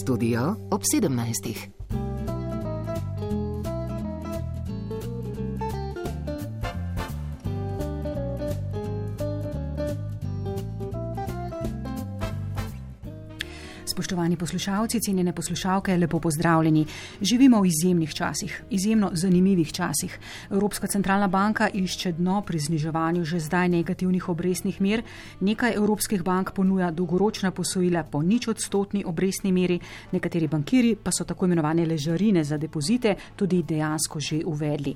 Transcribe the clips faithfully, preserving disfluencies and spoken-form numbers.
Studio ob sedemnajstih. Spoštovani poslušalci, cenjene poslušalke, lepo pozdravljeni. Živimo v izjemnih časih, izjemno zanimivih časih. Evropska centralna banka išče dno pri zniževanju že zdaj negativnih obrestnih mer. Nekaj evropskih bank ponuja dolgoročna posojila po nič odstotni obrestni meri, nekateri bankiri pa so tako imenovane ležarine za depozite tudi dejansko že uvedli.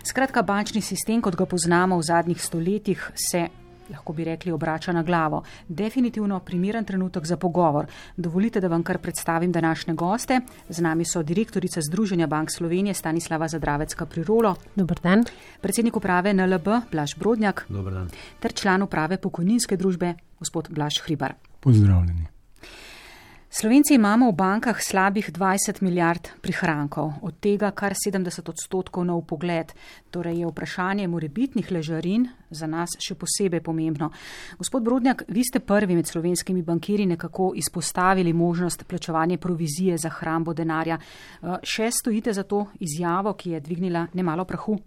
Skratka, bančni sistem, kot ga poznamo v zadnjih stoletjih, se lahko bi rekli, obrača na glavo. Definitivno primeren trenutek za pogovor. Dovolite, da vam kar predstavim današnje goste. Z nami so direktorica Združenja bank Slovenije Stanislava Zadravec-Capriolo. Dobar dan. Predsednik uprave N L B Blaž Brodnjak. Dobar dan. Ter član uprave pokojninske družbe gospod Blaž Hribar. Pozdravljeni. Slovenci imamo v bankah slabih dvajset milijard prihrankov, od tega kar sedemdeset odstotkov na vpogled. Torej je vprašanje morebitnih ležarin za nas še posebej pomembno. Gospod Brodnjak, vi ste prvi med slovenskimi bankiri nekako izpostavili možnost plačevanja provizije za hrambo denarja. Še stojite za to izjavo, ki je dvignila nemalo prahu?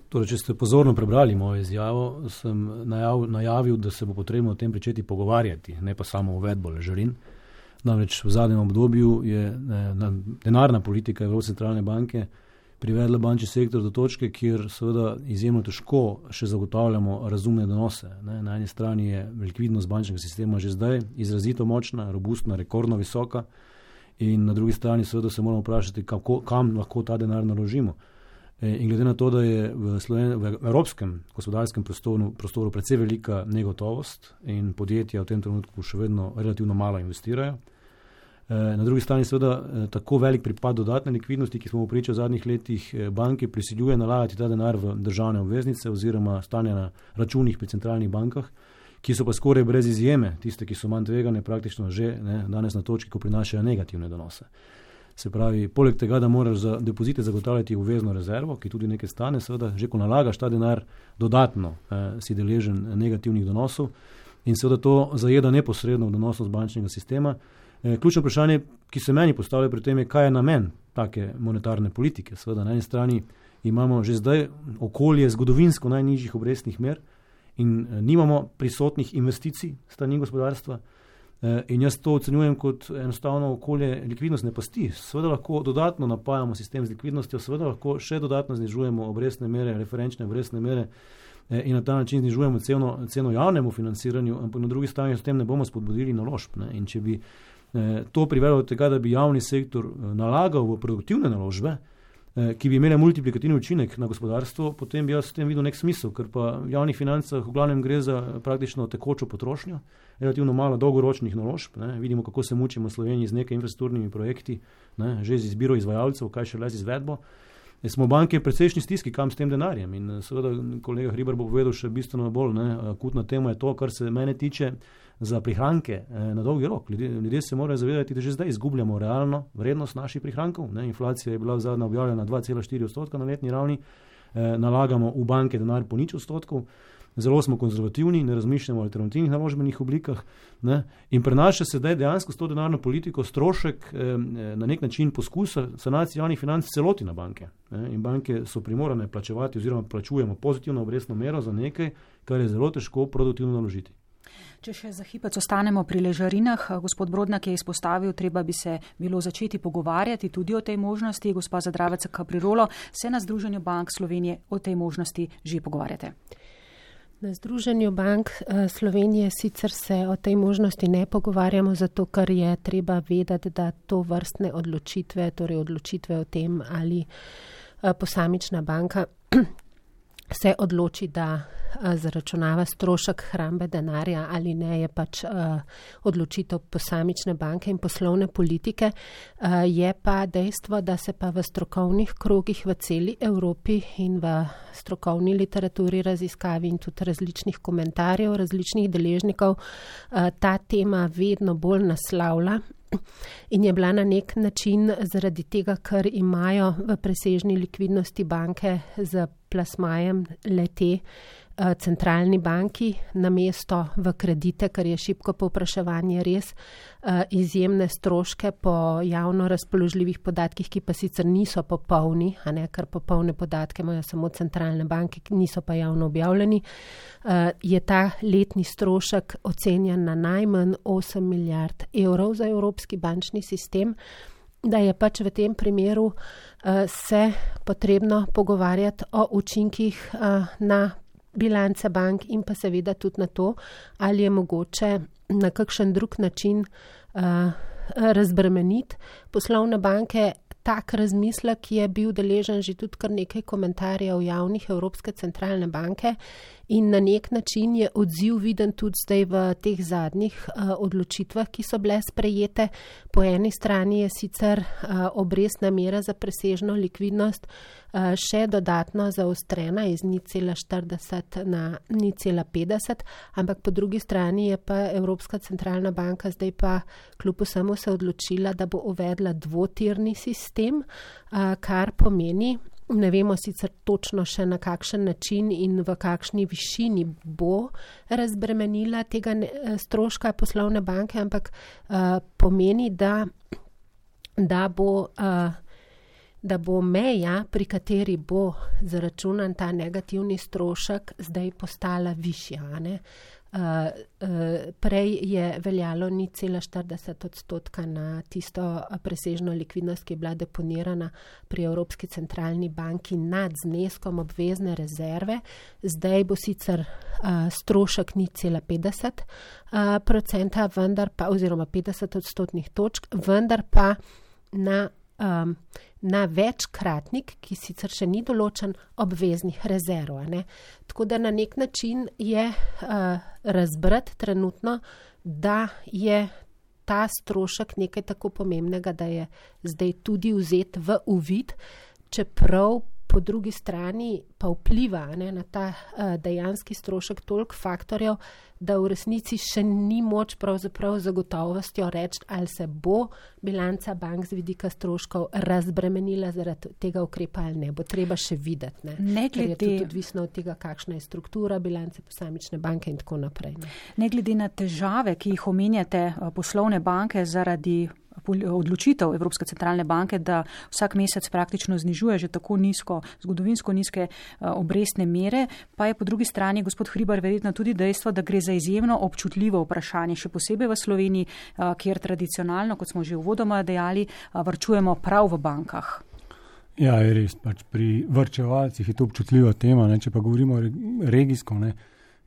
Torej, če ste pozorno prebrali mojo izjavo, sem najav, najavil, da se bo potrebno o tem pričeti pogovarjati, ne pa samo uvedbo ležarin. Namreč v zadnjem obdobju je ne, denarna politika Evropske centralne banke privedla bančni sektor do točke, kjer seveda izjemno težko še zagotavljamo razumne donose. Ne. Na eni strani je likvidnost bančnega sistema že zdaj izrazito močna, robustna, rekordno visoka in na drugi strani seveda se moramo vprašati, kako, kam lahko ta denar naložimo. In glede na to, da je v, Sloven- v evropskem gospodarskem prostoru, prostoru precej velika negotovost in podjetja v tem trenutku še vedno relativno malo investirajo. Na drugi strani seveda tako velik pripad dodatne likvidnosti, ki smo v priča v zadnjih letih, banke prisiljuje nalagati ta denar v državne obveznice oziroma stanja na računih pri centralnih bankah, ki so pa skoraj brez izjeme, tiste, ki so manj tvegane, praktično že ne, danes na točki, ko prinašajo negativne donose. Se pravi, poleg tega, da moraš za depozite zagotavljati obvezno rezervo, ki tudi nekaj stane, seveda, že ko nalagaš ta denar dodatno, eh, si deležen negativnih donosov in seveda to zajeda neposredno v donosnost bančnega sistema. Eh, ključno vprašanje, ki se meni postavlja pri tem, je, kaj je namen take monetarne politike. Seveda, na eni strani imamo že zdaj okolje zgodovinsko najnižjih obrestnih mer in eh, nimamo prisotnih investicij strani gospodarstva. In jaz to ocenjujem kot enostavno okolje likvidnostne pasti. Seveda lahko dodatno napajamo sistem z likvidnostjo, seveda lahko še dodatno znižujemo obrestne mere, referenčne obrestne mere in na ta način znižujemo ceno, ceno javnemu financiranju, ampak na drugi strani s tem ne bomo spodbudili naložb. Ne? In če bi eh, to privedlo do tega, da bi javni sektor nalagal v produktivne naložbe, eh, ki bi imele multiplikativni učinek na gospodarstvo, potem bi jaz s tem videl nek smisel, ker pa v javnih financah v glavnem gre za praktično tekočo potrošnjo, relativno malo dolgoročnih naložb. Ne. Vidimo, kako se mučimo v Sloveniji z nekaj infrastrukturnimi projekti, ne, že z izbiro izvajalcev, kaj še le z izvedbo. E, smo banke precejšnji stiski, kam s tem denarjem. In seveda kolega Hribar bo povedal še bistveno bolj, ne, akutna tema je to, kar se mene tiče za prihranke eh, na dolgi rok. Ljudje, ljudje se morajo zavedati, da že zdaj izgubljamo realno vrednost naših prihrankov. Ne. Inflacija je bila zadnja objavljena na dva cela štiri odstotka na letni ravni, eh, nalagamo v banke denar po nič odstotkov. Zelo smo konzervativni, ne razmišljamo o alternativnih naložbenih oblikah, ne, in prenaša se dejansko s to denarno politiko strošek eh, na nek način poskusa sanacije javnih financ celoti na banke. Ne, in banke so primorane plačevati oziroma plačujemo pozitivno obrestno mero za nekaj, kar je zelo težko produktivno naložiti. Če še za hipec ostanemo pri ležarinah, gospod Brodnjak je izpostavil, treba bi se bilo začeti pogovarjati tudi o tej možnosti. Gospa Zadravec-Capriolo, se na Združenju bank Slovenije o tej možnosti že pogovarjate? Na Združenju bank Slovenije sicer se o tej možnosti ne pogovarjamo, zato ker je treba vedeti, da to vrstne odločitve, torej odločitve o tem, ali posamična banka se odloči, da zaračunava strošek hrambe denarja ali ne, je pač uh, odločitev posamične banke in poslovne politike. Uh, je pa dejstvo, da se pa v strokovnih krogih v celi Evropi in v strokovni literaturi, raziskavi in tudi različnih komentarjev, različnih deležnikov uh, ta tema vedno bolj naslavlja. In je bila na nek način zaradi tega, ker imajo v presežni likvidnosti banke z plasmajem le-te centralni banki namesto v kredite, ker je šibko povpraševanje res izjemne stroške po javno razpoložljivih podatkih, ki pa sicer niso popolni, a ne, ker popolne podatke imajo samo centralne banke, ki niso pa javno objavljeni, je ta letni strošek ocenjen na najmanj osem milijard evrov za evropski bančni sistem, da je pač v tem primeru uh, se potrebno pogovarjati o učinkih uh, na bilance bank in pa seveda tudi na to, ali je mogoče na kakšen drug način uh, razbremeniti poslovne banke. Tak razmislek je bil deležen že tudi kar nekaj komentarjev javnih Evropske centralne banke in na nek način je odziv viden tudi zdaj v teh zadnjih uh, odločitvah, ki so bile sprejete. Po eni strani je sicer uh, obrestna mera za presežno likvidnost uh, še dodatno zaostrena iz nič cela štirideset na nič cela petdeset, ampak po drugi strani je pa Evropska centralna banka zdaj pa kljub vsemu se odločila, da bo uvedla dvotirni sistem, uh, kar pomeni, ne vemo sicer točno še na kakšen način in v kakšni višini bo razbremenila tega stroška poslovne banke, ampak uh, pomeni, da, da, bo, uh, da bo meja, pri kateri bo zaračunan ta negativni strošek, zdaj postala višja. Ne? Uh, uh, prej je veljalo nič cela štirideset odstotka na tisto presežno likvidnost, ki je bila deponirana pri Evropski centralni banki nad zneskom obvezne rezerve. Zdaj bo sicer uh, strošek nič cela petdeset uh, procenta, vendar pa, oziroma petdeset odstotnih točk, vendar pa na Um, na večkratnik, ki sicer še ni določen, obveznih rezerv. Ne? Tako da na nek način je uh, razbrat trenutno, da je ta strošek nekaj tako pomembnega, da je zdaj tudi vzet v uvid, čeprav po drugi strani pa vpliva, ne, na ta uh, dejanski strošek toliko faktorjev, da v resnici še ni moč pravzaprav z gotovostjo reči, ali se bo bilanca bank z vidika stroškov razbremenila zaradi tega ukrepa ali ne. Bo treba še videti. Ne, ne glede, ker je tudi odvisno od tega, kakšna je struktura bilance posamične banke in tako naprej. Ne. ne glede na težave, ki jih omenjate poslovne banke zaradi odločitev Evropske centralne banke, da vsak mesec praktično znižuje že tako nizko, zgodovinsko nizke obrestne mere, pa je po drugi strani, gospod Hribar, verjetno tudi dejstvo, da gre za izjemno občutljivo vprašanje, še posebej v Sloveniji, kjer tradicionalno, kot smo že uvodoma dejali, varčujemo prav v bankah. Ja, je res, pač pri varčevalcih je to občutljiva tema, ne? Če pa govorimo regijsko, ne?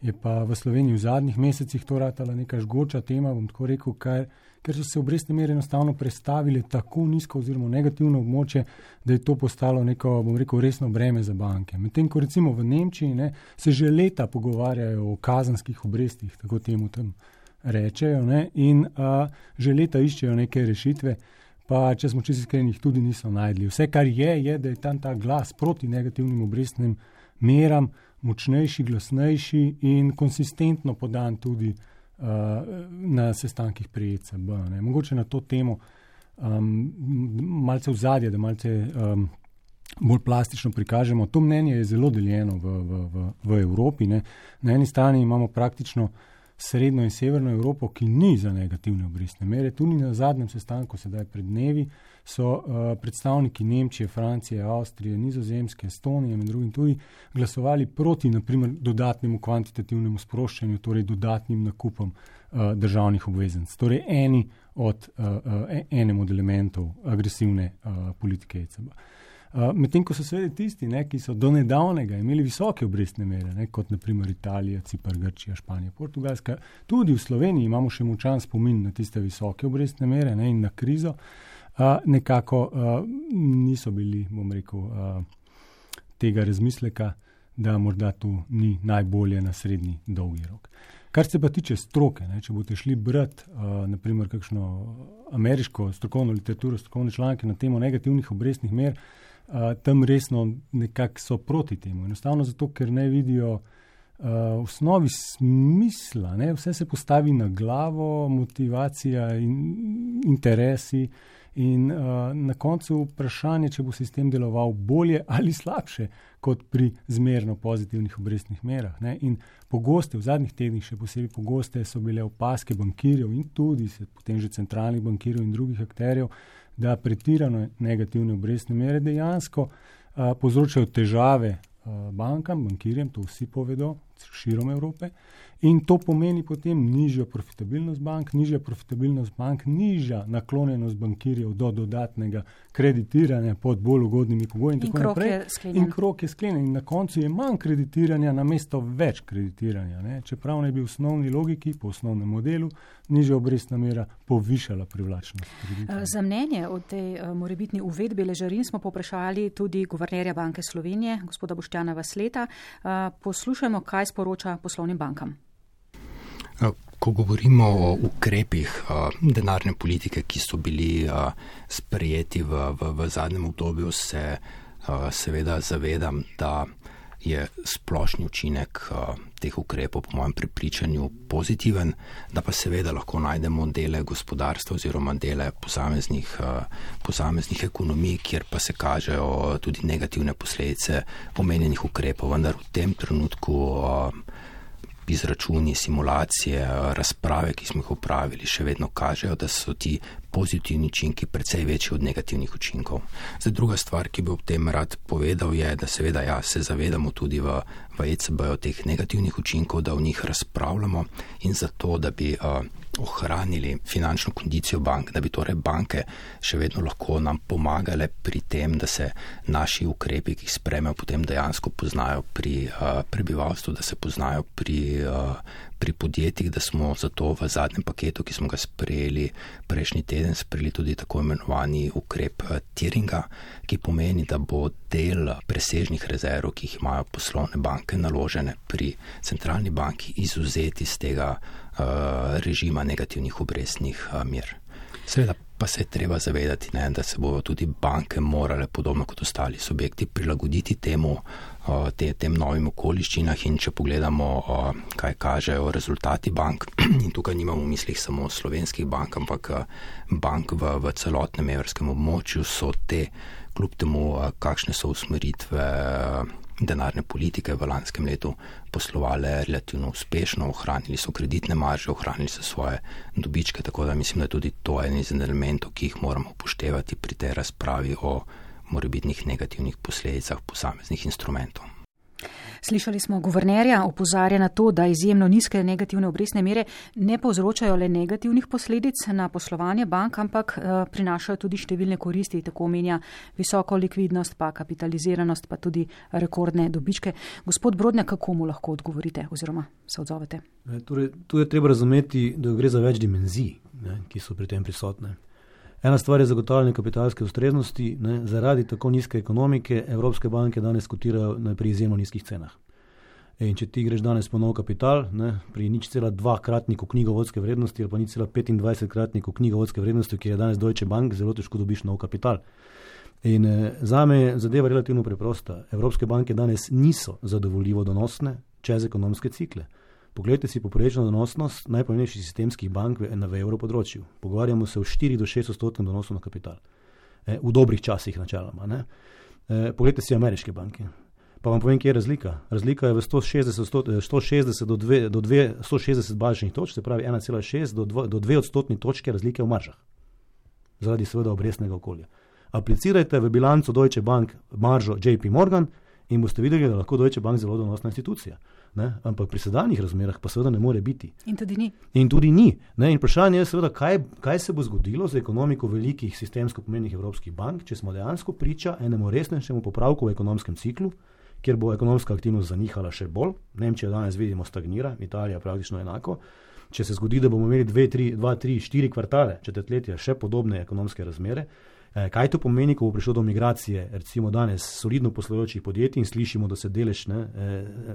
Je pa v Sloveniji v zadnjih mesecih to ratala neka žgoča tema, bom tako rekel, kar ker so se obrestne mere enostavno prestavile tako nizko oziroma negativno območje, da je to postalo neko, bom rekel, resno breme za banke. Medtem, ko recimo v Nemčiji ne, se že leta pogovarjajo o kazenskih obrestih, tako temu tam rečejo, ne, in a, že leta iščejo neke rešitve, pa če smo čisto iskreni, jih tudi niso najdli. Vse, kar je, je, da je tam ta glas proti negativnim obrestnim meram močnejši, glasnejši in konsistentno podan tudi na sestankih pri E C B. Ne. Mogoče na to temo um, malce vzadje, da malce um, bolj plastično prikažemo. To mnenje je zelo deljeno v, v, v, v Evropi. Ne. Na eni strani imamo praktično srednjo in severno Evropo, ki ni za negativne obrestne mere. Tudi na zadnjem sestanku, sedaj pred dnevi, so uh, predstavniki Nemčije, Francije, Avstrije, Nizozemske, Estonije in drugim tudi glasovali proti, naprimer, dodatnemu kvantitativnemu sproščanju, torej dodatnim nakupom uh, državnih obveznic. Torej eni od, uh, uh, enem od elementov agresivne uh, politike E C B. Uh, medtem, ko so seveda tisti, ne, ki so do nedavnega imeli visoke obrestne mere, ne, kot naprimer Italija, Cipar, Grčija, Španija, Portugalska, tudi v Sloveniji imamo še močan spomin na tiste visoke obrestne mere, ne, in na krizo, uh, nekako uh, niso bili, bom rekel, uh, tega razmisleka, da morda tu ni najbolje na srednji dolgi rok. Kar se pa tiče stroke, ne, če boste šli brati uh, naprimer kakšno ameriško strokovno literaturo, strokovne članke na temo negativnih obrestnih mer, Uh, tam resno nekako so proti temu. Enostavno zato, ker ne vidijo uh, v osnovi smisla. Ne? Vse se postavi na glavo, motivacija in interesi In uh, na koncu vprašanje, če bo sistem deloval bolje ali slabše kot pri zmerno pozitivnih obrestnih merah. Ne? In pogoste, v zadnjih tednih še posebej pogoste so bile opaske bankirjev in tudi se, potem že centralnih bankirjev in drugih akterjev, da pretirano negativne obrestne mere dejansko uh, povzročajo težave uh, bankam, bankirjem, to vsi povedo, širom Evrope. In to pomeni potem nižjo profitabilnost bank, nižja profitabilnost bank, nižja naklonjenost bankirjev do dodatnega kreditiranja pod bolj ugodnimi pogoji in, in tako naprej. In krog je sklenjen. In na koncu je manj kreditiranja namesto več kreditiranja. Ne? Čeprav ne bi v osnovni logiki, po osnovnem modelu, nižja obrestna mera povišala privlačnost kreditiranja. Za mnenje o tej morebitni uvedbi ležarin smo poprašali tudi guvernerja Banke Slovenije, gospoda Boštjana Vasleta. Poslušajmo, kaj sporoča poslovnim bankam. Ko govorimo o ukrepih denarne politike, ki so bili sprejeti v, v, v zadnjem obdobju, se seveda zavedam, da je splošni učinek teh ukrepov po mojem prepričanju pozitiven, da pa seveda lahko najdemo dele gospodarstva oziroma dele posameznih, posameznih ekonomij, kjer pa se kažejo tudi negativne posledice omenjenih ukrepov, vendar v tem trenutku izračuni, simulacije, razprave, ki smo jih upravili, še vedno kažejo, da so ti pozitivni učinki precej večji od negativnih učinkov. Zdaj, druga stvar, ki bi ob tem rad povedal, je, da seveda ja, se zavedamo tudi v, v E C B-ju teh negativnih učinkov, da o njih razpravljamo in zato, da bi uh, ohranili finančno kondicijo bank, da bi torej banke še vedno lahko nam pomagale pri tem, da se naši ukrepi, ki jih sprejmejo, potem dejansko poznajo pri uh, prebivalstvu, da se poznajo pri, uh, pri podjetjih, da smo zato v zadnjem paketu, ki smo ga sprejeli prejšnji teden, sprejeli tudi tako imenovani ukrep uh, tieringa, ki pomeni, da bo del presežnih rezerv, ki jih imajo poslovne banke naložene pri centralni banki, izvzeti iz tega uh, režima negativnih obrestnih uh, mer. Seveda pa se je treba zavedati, ne, da se bodo tudi banke morale, podobno kot ostali subjekti, prilagoditi temu, uh, te, tem novim okoliščinah in če pogledamo, uh, kaj kažejo rezultati bank, in tukaj nimamo v mislih samo slovenskih bank, ampak bank v, v celotnem evropskem območju, so te, kljub temu, uh, kakšne so usmeritve uh, denarne politike v lanskem letu poslovale relativno uspešno, ohranili so kreditne marže, ohranili so svoje dobičke, tako da mislim, da je tudi to en izmed elementov, ki jih moramo upoštevati pri tej razpravi o morebitnih negativnih posledicah posameznih instrumentov. Slišali smo guvernerja, opozarja na to, da izjemno nizke negativne obrestne mere ne povzročajo le negativnih posledic na poslovanje bank, ampak uh, prinašajo tudi številne koristi, tako omenja visoko likvidnost, pa kapitaliziranost, pa tudi rekordne dobičke. Gospod Brodnjak, kako mu lahko odgovorite oziroma se odzovete? E, torej, tu je treba razumeti, da gre za več dimenzij, ne, ki so pri tem prisotne. Ena stvar je zagotavljanje kapitalske ustreznosti. Ne, zaradi tako nizke ekonomike evropske banke danes kotirajo pri izjemno nizkih cenah. In če ti greš danes po nov kapital, ne, pri nič cela dva kratniku knjigovodske vrednosti ali pa nič cela petindvajset kratniku knjigovodske vrednosti, ki je danes Deutsche Bank, zelo težko dobiš nov kapital. In eh, zame je zadeva relativno preprosta. Evropske banke danes niso zadovoljivo donosne čez ekonomske cikle. Poglejte si poprečno donosnost najpomembnejših sistemskih bank v, v evropodročju. Pogovarjamo se o štiri do šest odstotnem donosu na kapital. E, v dobrih časih načeloma. Ne? E, poglejte si ameriške banke. Pa vam povem, kje je razlika. Razlika je v sto šestdeset do sto šestdeset bazičnih točk, se pravi ena cela šest do dve odstotni točke razlike v maržah. Zaradi seveda obrestnega okolja. Aplicirajte v bilanco Deutsche Bank maržo J P Morgan in boste videli, da lahko Deutsche Bank zelo donosna institucija. Ne? Ampak pri sedanjih razmerah pa seveda ne more biti. In tudi ni. In tudi ni. Ne? In vprašanje je seveda, kaj, kaj se bo zgodilo z ekonomiko velikih sistemsko pomenjenih evropskih bank, če smo dejansko priča enemu resnejšemu popravku v ekonomskem ciklu, kjer bo ekonomska aktivnost zanihala še bolj. Nemčija danes vidimo stagnira, Italija praktično enako. Če se zgodi, da bomo imeli dve, tri, dva, tri, štiri kvartale, četrtletja še podobne ekonomske razmere, kaj to pomeni, ko bo prišlo do migracije, recimo danes solidno poslujočih podjetij in slišimo, da se delež ne,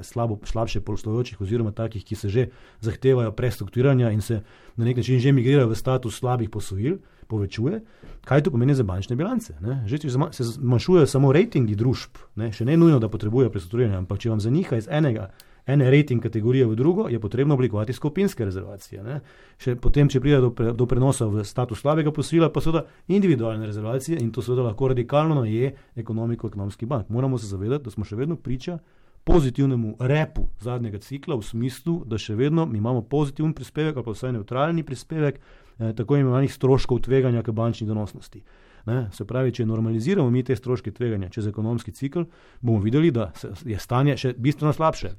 slabo, slabše poslujočih oziroma takih, ki se že zahtevajo prestrukturiranja in se na nek način že migrirajo v status slabih posojil, povečuje, kaj to pomeni za bančne bilance. Ne? Že če se zmanjšujejo samo rejtingi družb, ne? Še ne nujno, da potrebujejo prestrukturiranje, ampak če vam zaniha iz enega ene rating kategorije v drugo, je potrebno oblikovati skupinske rezervacije. Ne? Še potem, če pride do, pre, do prenosa v status slabega posojila, pa seveda individualne rezervacije in to seveda lahko radikalno naje ekonomiko ekonomskih bank. Moramo se zavedati, da smo še vedno priča pozitivnemu repu zadnjega cikla v smislu, da še vedno mi imamo pozitiven prispevek ali pa vsaj neutralni prispevek eh, tako imenovanih stroškov tveganja k bančni donosnosti. Ne? Se pravi, če normaliziramo mi te stroške tveganja čez ekonomski cikl, bomo videli, da je stanje še bistveno slabše.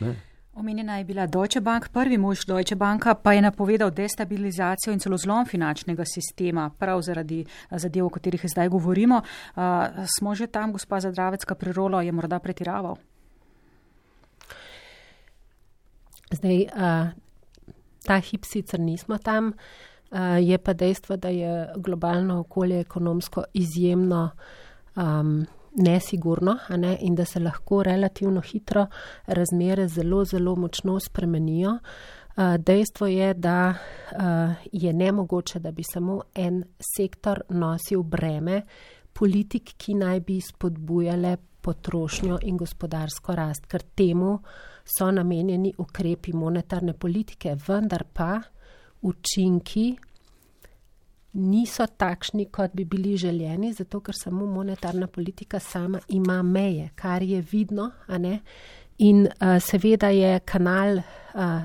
Ne? Omenjena je bila Deutsche Bank, prvi mož Deutsche Banka pa je napovedal destabilizacijo in celo zlom finančnega sistema, prav zaradi zadev, o katerih zdaj govorimo. Uh, smo že tam, gospa Zadravecka, pri Rolo je morda pretiraval? Zdaj, uh, ta hip sicer nismo tam, uh, je pa dejstvo, da je globalno okolje ekonomsko izjemno um, nesigurno, a ne, in da se lahko relativno hitro razmere zelo, zelo močno spremenijo. Uh, dejstvo je, da uh, je nemogoče, da bi samo en sektor nosil breme politik, ki naj bi spodbujale potrošnjo in gospodarsko rast, ker temu so namenjeni ukrepi monetarne politike, vendar pa učinki niso takšni, kot bi bili željeni, zato ker samo monetarna politika sama ima meje, kar je vidno, a ne? In uh, seveda je kanal uh,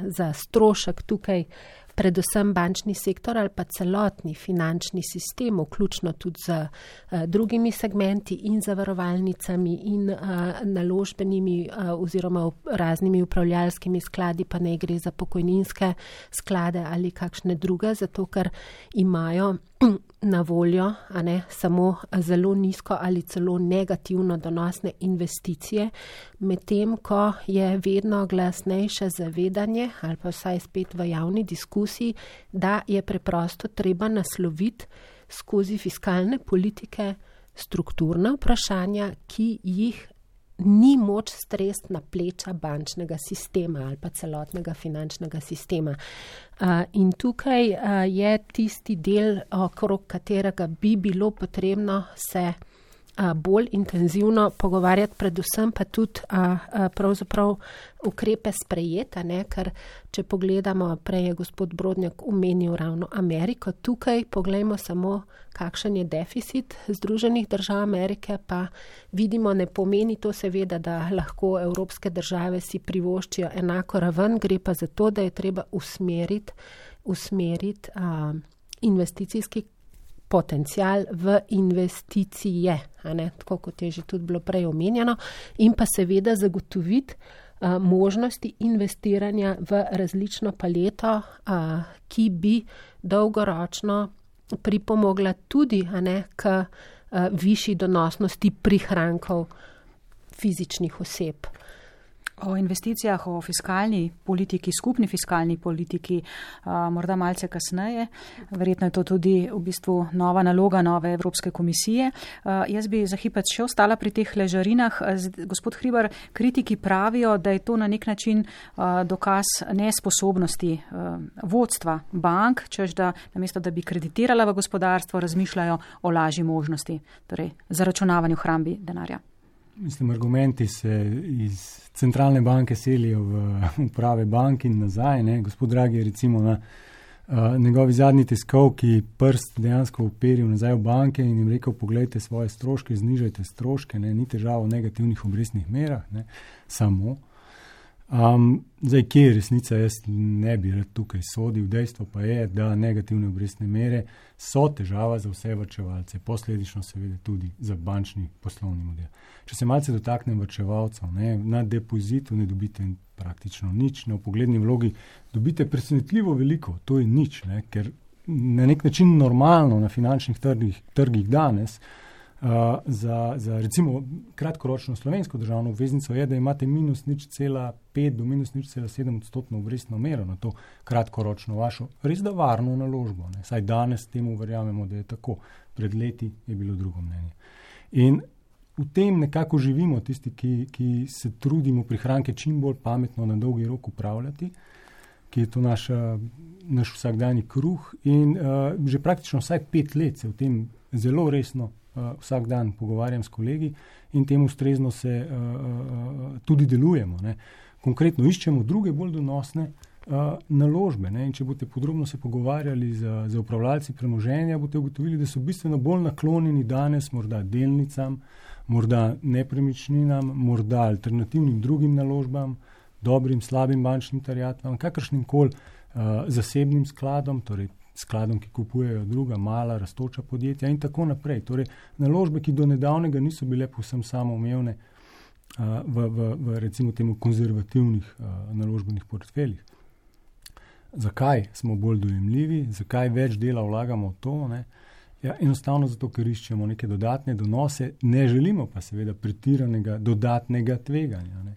za strošek tukaj predvsem bančni sektor ali pa celotni finančni sistem, vključno tudi z uh, drugimi segmenti in zavarovalnicami in uh, naložbenimi uh, oziroma raznimi upravljalskimi skladi, pa ne gre za pokojninske sklade ali kakšne druge, zato ker imajo na voljo, a ne, samo zelo nizko ali celo negativno donosne investicije, medtem ko je vedno glasnejše zavedanje ali pa vsaj spet v javni diskusiji, da je preprosto treba nasloviti skozi fiskalne politike strukturna vprašanja, ki jih ni moč stresti na pleča bančnega sistema ali pa celotnega finančnega sistema. Uh, in tukaj uh, je tisti del, okrog katerega bi bilo potrebno se uh, bolj intenzivno pogovarjati, predvsem pa tudi uh, uh, pravzaprav ukrepe sprejeta, ne? Ker če pogledamo, prej je gospod Brodnjak omenil ravno Ameriko, tukaj poglejmo samo, kakšen je deficit Združenih držav Amerike, pa vidimo, ne pomeni to seveda, da lahko evropske države si privoščijo enako raven, gre pa za to, da je treba usmeriti, usmeriti uh, investicijski potencial v investicije, a ne, tako kot je že tudi bilo prej omenjeno, in pa seveda zagotoviti uh, možnosti investiranja v različno paleto, uh, ki bi dolgoročno pripomogla tudi, a ne, k uh, višji donosnosti prihrankov fizičnih oseb. O investicijah, o fiskalni politiki, skupni fiskalni politiki, a, morda malce kasneje. Verjetno je to tudi v bistvu nova naloga nove Evropske komisije. A, jaz bi za hipec še ostala pri teh ležarinah. Gospod Hribar, kritiki pravijo, da je to na nek način a, dokaz nesposobnosti a, vodstva bank, češ da namesto, da bi kreditirala v gospodarstvo, razmišljajo o lažji možnosti, torej zaračunavanju hrambi denarja. Mislim, argumenti se iz centralne banke selijo v uprave bank in nazaj. Ne? Gospod Draghi je recimo na uh, njegovi zadnji tiskovki prst dejansko uperil nazaj v banke in jim rekel, pogledajte svoje stroške, znižajte stroške, ne? Ni težava v negativnih obrestnih merah, ne? Samo. Um, zdaj, kje je resnica, jaz ne bi rad tukaj sodil. Dejstvo pa je, da negativne obrestne mere so težava za vse varčevalce, posledično seveda tudi za bančni poslovni model. Če se malce dotaknem varčevalcev, ne, na depozitu ne dobite praktično nič, na vpogledni vlogi dobite presenetljivo veliko, to je nič, ne, ker na nek način normalno na finančnih trgih, trgih danes Uh, za, za recimo kratkoročno slovensko državno obveznico je, da imate minus nič cela pet do minus nič cela sedem odstotno obrestno mero na to kratkoročno vašo res da varno naložbo. Ne. Saj danes temu verjamemo, da je tako. Pred leti je bilo drugo mnenje. In v tem nekako živimo tisti, ki, ki se trudimo prihranke čim bolj pametno na dolgi rok upravljati, ki je to naša, naš vsakdanji kruh in uh, že praktično vsaj pet let se v tem zelo resno Uh, vsak dan pogovarjam s kolegi in temu ustrezno se uh, uh, tudi delujemo. Ne. konkretno iščemo druge bolj donosne uh, naložbe. Ne? In če boste podrobno se pogovarjali z, z upravljalci premoženja, boste ugotovili, da so bistveno bolj naklonjeni danes morda delnicam, morda nepremičninam, morda alternativnim drugim naložbam, dobrim, slabim bančnim terjatvam, kakršnim koli uh, zasebnim skladom, torej skladom, ki kupujejo druga, mala, rastoča podjetja in tako naprej. Torej, naložbe, ki do nedavnega niso bile povsem samoumevne uh, v, v, v recimo temu konzervativnih uh, naložbenih portfeljih. Zakaj smo bolj dojemljivi, zakaj več dela vlagamo v to? Ne? Ja, enostavno zato, ker iščemo neke dodatne donose, ne želimo pa seveda pretiranega dodatnega tveganja. Ne?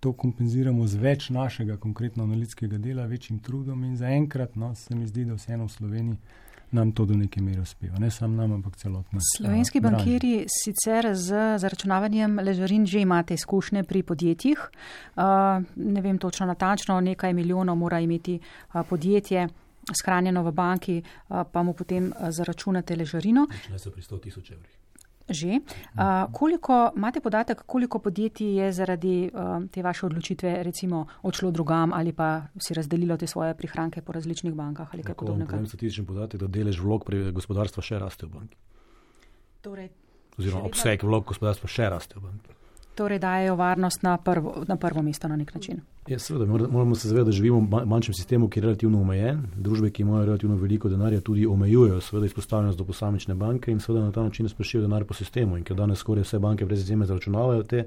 To kompenziramo z več našega konkretno analitskega dela, večjim trudom in zaenkrat no, se mi zdi, da vseeno v Sloveniji nam to do neke mere uspeva. Ne samo nam, ampak celotno. Slovenski bankirji sicer z zaračunavanjem ležarin že imate izkušnje pri podjetjih. Uh, ne vem točno natančno, nekaj milijonov mora imeti uh, podjetje shranjeno v banki, uh, pa mu potem uh, zaračunate ležarino. Začne se pri sto tisoč evrih. Že. Uh, koliko, imate podatek, koliko podjetij je zaradi uh, te vaše odločitve recimo odšlo drugam ali pa si razdelilo te svoje prihranke po različnih bankah ali kaj podobnega? Povem statistični podatek, da delež vlog pri gospodarstva še raste v banki. Torej, Oziroma obseg vlog gospodarstva še raste v banki. Torej dajejo varnost na prvo, na prvo mesto na nek način. Ja, seveda, moramo se zavedati, da živimo v bančnem sistemu, ki je relativno omejen. Družbe, ki imajo relativno veliko denarja, tudi omejujejo seveda izpostavljenost do posamične banke in seveda na ta način sprašujejo denar po sistemu. In ker danes skoraj vse banke brez izjeme zaračunavajo te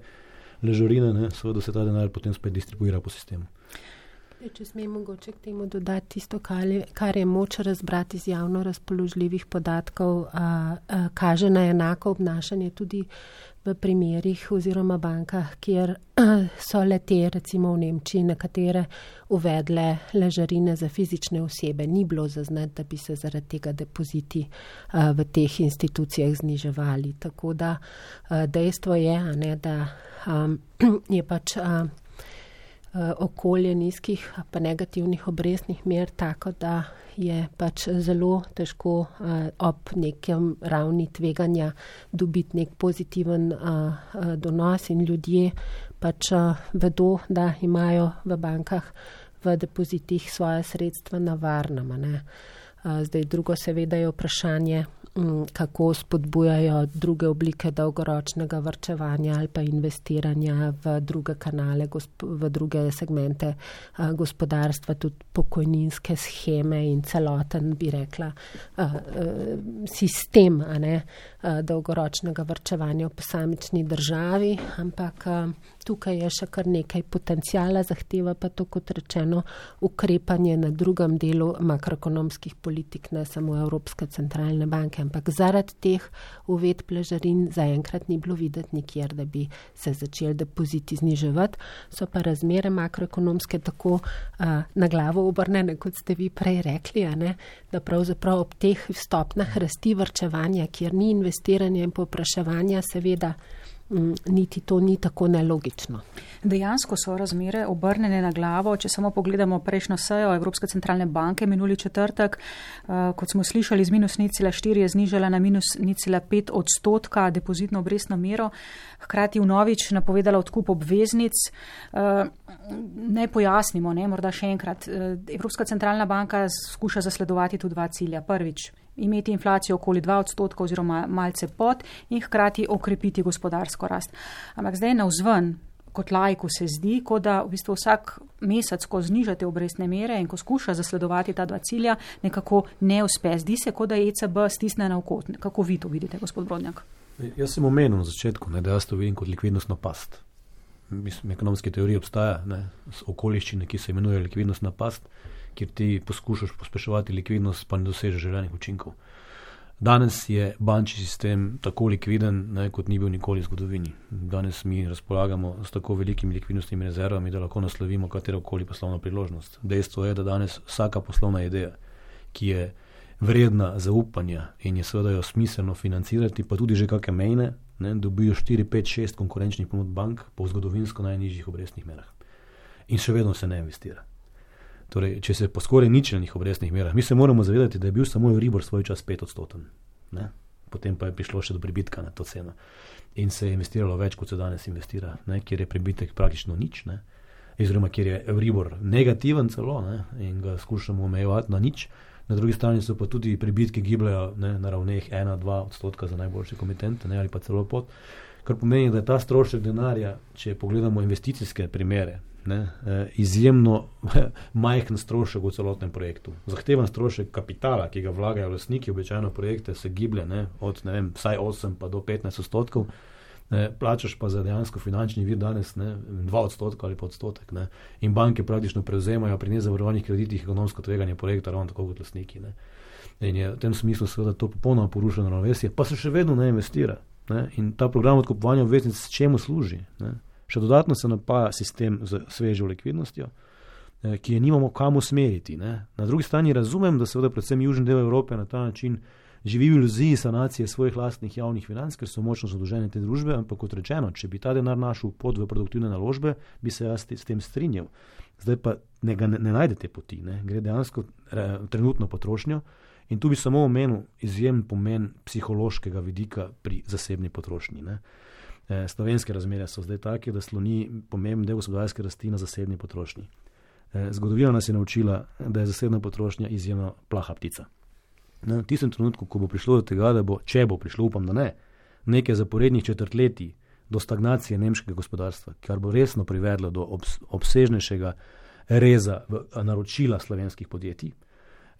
ležarine, ne, seveda se ta denar potem spet distribuira po sistemu. Če smem mogoče k temu dodati tisto, kar je moč razbrati iz javno razpoložljivih podatkov, a, a, kaže na enako obnašanje tudi v primerih oziroma bankah, kjer a, so le te, recimo v Nemčiji, nekatere uvedle ležarine za fizične osebe. Ni bilo zaznati, da bi se zaradi tega depoziti a, v teh institucijah zniževali. Tako da a, dejstvo je, a ne, da a, je pač a, okolje nizkih pa negativnih obrestnih mer tako, da je pač zelo težko uh, ob nekem ravni tveganja dobiti nek pozitiven uh, uh, donos in ljudje pač uh, vedo, da imajo v bankah v depozitih svoje sredstva na varnem. Ne? Uh, zdaj drugo seveda je vprašanje, kako spodbujajo druge oblike dolgoročnega varčevanja ali pa investiranja v druge kanale, v druge segmente gospodarstva, tudi pokojninske sheme in celoten, bi rekla, sistem a ne, dolgoročnega varčevanja v posamični državi, ampak tukaj je še kar nekaj potencijala, zahteva pa to, kot rečeno, ukrepanje na drugem delu makroekonomskih politik, ne samo Evropske centralne banke, ampak zaradi teh uvedb ležarin zaenkrat ni bilo videti nikjer, da bi se začeli depoziti zniževati. So pa razmere makroekonomske tako uh, na glavo obrnjene, kot ste vi prej rekli, a ne, da pravzaprav ob teh stopnjah rasti varčevanja, kjer ni investiranja in povpraševanja, seveda niti to ni tako nelogično. Dejansko so razmere obrnjene na glavo, če samo pogledamo prejšnjo sejo Evropske centralne banke minuli četrtek, uh, kot smo slišali, z minus nič cela štiri je znižala na minus nič cela pet odstotka depozitno obrestno mero, hkrati vnovič napovedala odkup obveznic. Uh, ne pojasnimo, ne, morda še enkrat. Uh, Evropska centralna banka skuša zasledovati tu dva cilja. Prvič, imeti inflacijo okoli dva odstotka oziroma malce pod in hkrati okrepiti gospodarsko rast. Ampak zdaj navzven, kot laiku se zdi, kot da v bistvu vsak mesec, ko znižate obrestne mere in ko skuša zasledovati ta dva cilja, nekako ne uspe. Zdi se, kot da E C B stisne na oko. Kako vi to vidite, gospod Brodnjak? Jaz sem omenil na začetku, ne, da jaz to vidim kot likvidnostno past. Mislim, ekonomske teorije obstaja, ne, okoliščine, ki se imenuje likvidnostna past, kjer ti poskušaš pospeševati likvidnost, pa ne dosežeš želenih učinkov. Danes je bančni sistem tako likviden, ne, kot ni bil nikoli v zgodovini. Danes mi razpolagamo s tako velikimi likvidnostnimi rezervami, da lahko naslovimo katerokoli poslovno priložnost. Dejstvo je, da danes vsaka poslovna ideja, ki je vredna zaupanja in je seveda jo smiselno financirati, pa tudi že kakšne mejne, ne, dobijo štiri, pet, šest konkurenčnih ponudb bank po zgodovinsko najnižjih obrestnih merah. In še vedno se ne investira. Torej, če se po skoraj ničelnih obrestnih merah, mi se moramo zavedati, da je bil samo Euribor svoj čas pet odstoten. Ne? Potem pa je prišlo še do pribitka na to ceno. In se je investiralo več, kot se danes investira, ne? Kjer je pribitek praktično nič. Ne? oziroma kjer je Euribor negativen celo, ne, in ga skušamo omejevati na nič. Na drugi strani so pa tudi prebitki gibljajo, ne, na ravneh ena do dva odstotka za najboljše komitente, ne, ali pa celo pod, kar pomeni, da je ta strošek denarja, če pogledamo investicijske primere, ne, izjemno majhen strošek v celotnem projektu. Zahteven strošek kapitala, ki ga vlagajo lastniki, običajno projekte se giblje, ne, od ne vem, vsaj osem pa do petnajst odstotkov, ne, plačaš pa za dejansko finančni vir danes ne, dva odstotka ali pa odstotek. Ne, in banke praktično prevzemajo pri nezavarovanih kreditih ekonomsko tveganje projekta ravno tako kot lastniki. Ne. In je v tem smislu seveda to popolnoma porušeno ravnovesje, pa se še vedno ne investira. Ne, in ta program odkupovanja obveznic s čemu služi? Ne. Še dodatno se napaja sistem z svežo likvidnostjo, eh, ki je nimamo kam usmeriti. Ne. Na drugi strani razumem, da seveda predvsem južni del Evrope na ta način živi v iluziji sanacije svojih lastnih javnih financ, ker so močno zadolžene te družbe, ampak kot rečeno, če bi ta denar našel pot v produktivne naložbe, bi se jaz s tem strinjal. Zdaj pa ne, ne, ne najde te poti, ne. Gre dejansko re, trenutno potrošnjo in tu bi samo omenil izjemen pomen psihološkega vidika pri zasebni potrošnji. Ne. E, slovenske razmere so zdaj take, da sloni pomemben del gospodarske rasti na zasebni potrošnji. E, zgodovina nas je naučila, da je zasebna potrošnja izjemno plaha ptica. Na tistem trenutku, ko bo prišlo do tega, da bo, če bo prišlo, upam, da ne, nekaj zaporednih četrtletij do stagnacije nemškega gospodarstva, kar bo resno privedlo do obs, obsežnejšega reza v naročila slovenskih podjetij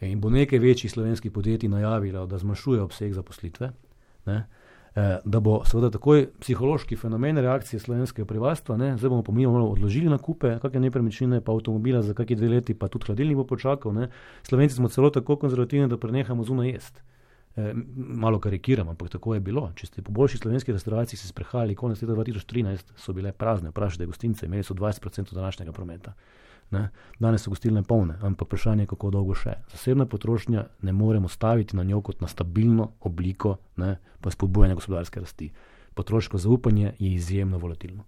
in bo nekaj večjih slovenskih podjetij najavilo, da zmanjšuje obseg zaposlitve, ne, da bo seveda takoj psihološki fenomen reakcije slovenskega prebivalstva, ne, zdaj bomo pomimo odložili nakupe, kakšne nepremičnine, pa avtomobila za kakšne dve leti, pa tudi hladilnik bo počakal. Ne. Slovenci smo celo tako konzervativni, da prenehamo zunaj jesti. E, malo karikiram, ampak tako je bilo. Če ste po boljših slovenskih restauracij se sprehajali konec leta dva tisoč trinajst, so bile prazne, vprašajte gostince, imeli so dvajset procentov današnjega prometa. Ne. Danes so gostilne polne, ampak vprašanje je, kako dolgo še. Zasebna potrošnja ne moremo staviti na njo kot na stabilno obliko, ne, pa spodbujanja gospodarske rasti. Potroško zaupanje je izjemno volatilno.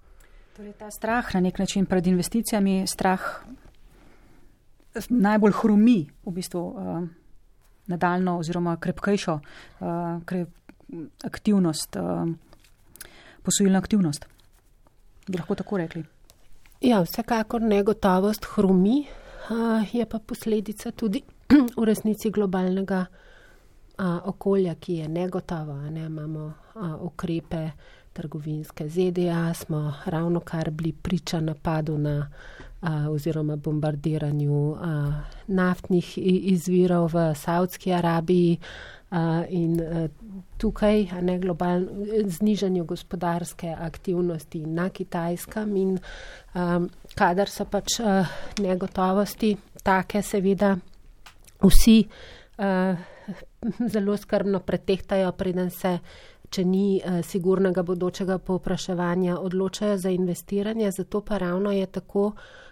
Torej ta strah na nek način pred investicijami, strah najbolj hrumi v bistvu uh, nadaljno oziroma krepkejšo uh, krep, aktivnost, uh, posojilna aktivnost. Bi lahko tako rekli? Ja, vsekakor negotovost hrumi, je pa posledica tudi v resnici globalnega okolja, ki je negotovo. Ne? Imamo ukrepe trgovinske Z D A, smo ravno kar bili priča napadu na oziroma bombardiranju naftnih izvirov v Saudski Arabiji in tukaj ne globalno znižanju gospodarske aktivnosti na Kitajskem in um, kadar so pač uh, negotovosti take, seveda vsi uh, zelo skrbno pretehtajo, preden se, če ni uh, sigurnega bodočega povpraševanja, odločajo za investiranje, zato pa ravno je tako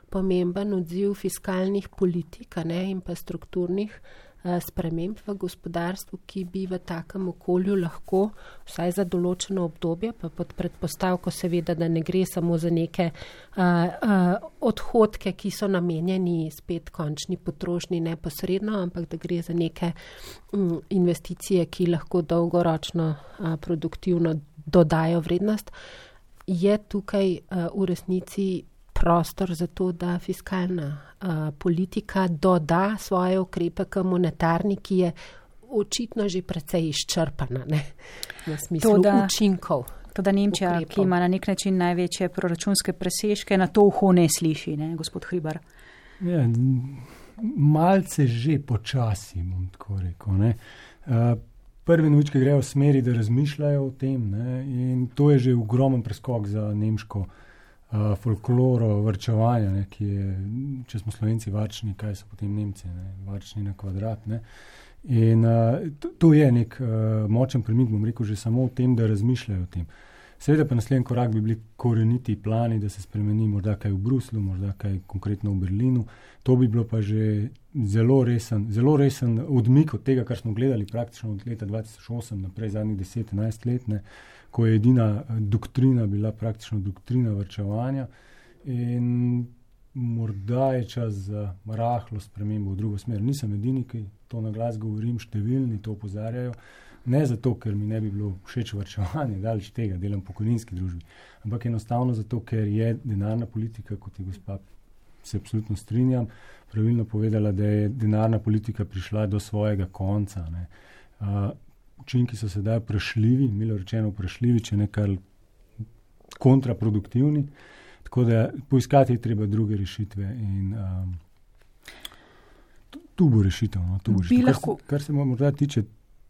pomemben odziv fiskalnih politik, ne, in pa strukturnih sprememb v gospodarstvu, ki bi v takem okolju lahko, vsaj za določeno obdobje, pa pod predpostavko seveda, da ne gre samo za neke uh, uh, odhodke, ki so namenjeni spet končni potrošnji neposredno, ampak da gre za neke um, investicije, ki lahko dolgoročno uh, produktivno dodajo vrednost, je tukaj uh, v resnici prostor za to, da fiskalna uh, politika doda svoje ukrepe k monetarni, ki je očitno že precej izčrpana, ne, na smislu to, da, učinkov. To, da Nemčija, ukrepov, ki ima na nek način največje proračunske presežke, na to uho ne sliši, ne, gospod Hribar. Ja, malce že počasi, bom tako rekel, ne. Uh, prve novičke grejo v smeri, da razmišljajo o tem, ne, in to je že ogromen preskok za nemško Uh, folkloro varčevanja, ne, ki je, če smo Slovenci varčni, kaj so potem Nemci, ne, varčni na kvadrat. Ne. In uh, to, to je nek uh, močen premik, bom rekel, že samo o tem, da razmišljajo o tem. Seveda pa naslednji korak bi bili koreniti plani, da se spremeni morda kaj v Bruslu, morda kaj konkretno v Berlinu. To bi bilo pa že zelo resen, zelo resen odmik od tega, kar smo gledali praktično od leta dva tisoč osem naprej, zadnjih deset enajst let, ne, ko je edina doktrina bila praktično doktrina varčevanja in morda je čas za rahlo spremembo v drugo smer. Nisem edini, ki to na glas govorim, številni to opozarjajo, ne zato, ker mi ne bi bilo všeč varčevanje, daleč tega, delam v pokojninski družbi, ampak enostavno zato, ker je denarna politika, kot je gospa se absolutno strinjam, pravilno povedala, da je denarna politika prišla do svojega konca. Ne. Uh, učinki so sedaj vprašljivi, milo rečeno vprašljivi, če ne kar kontraproduktivni, tako da poiskati je treba druge rešitve in um, tu bo rešitev. No, tu bo rešitev. Kar, se, kar se morda tiče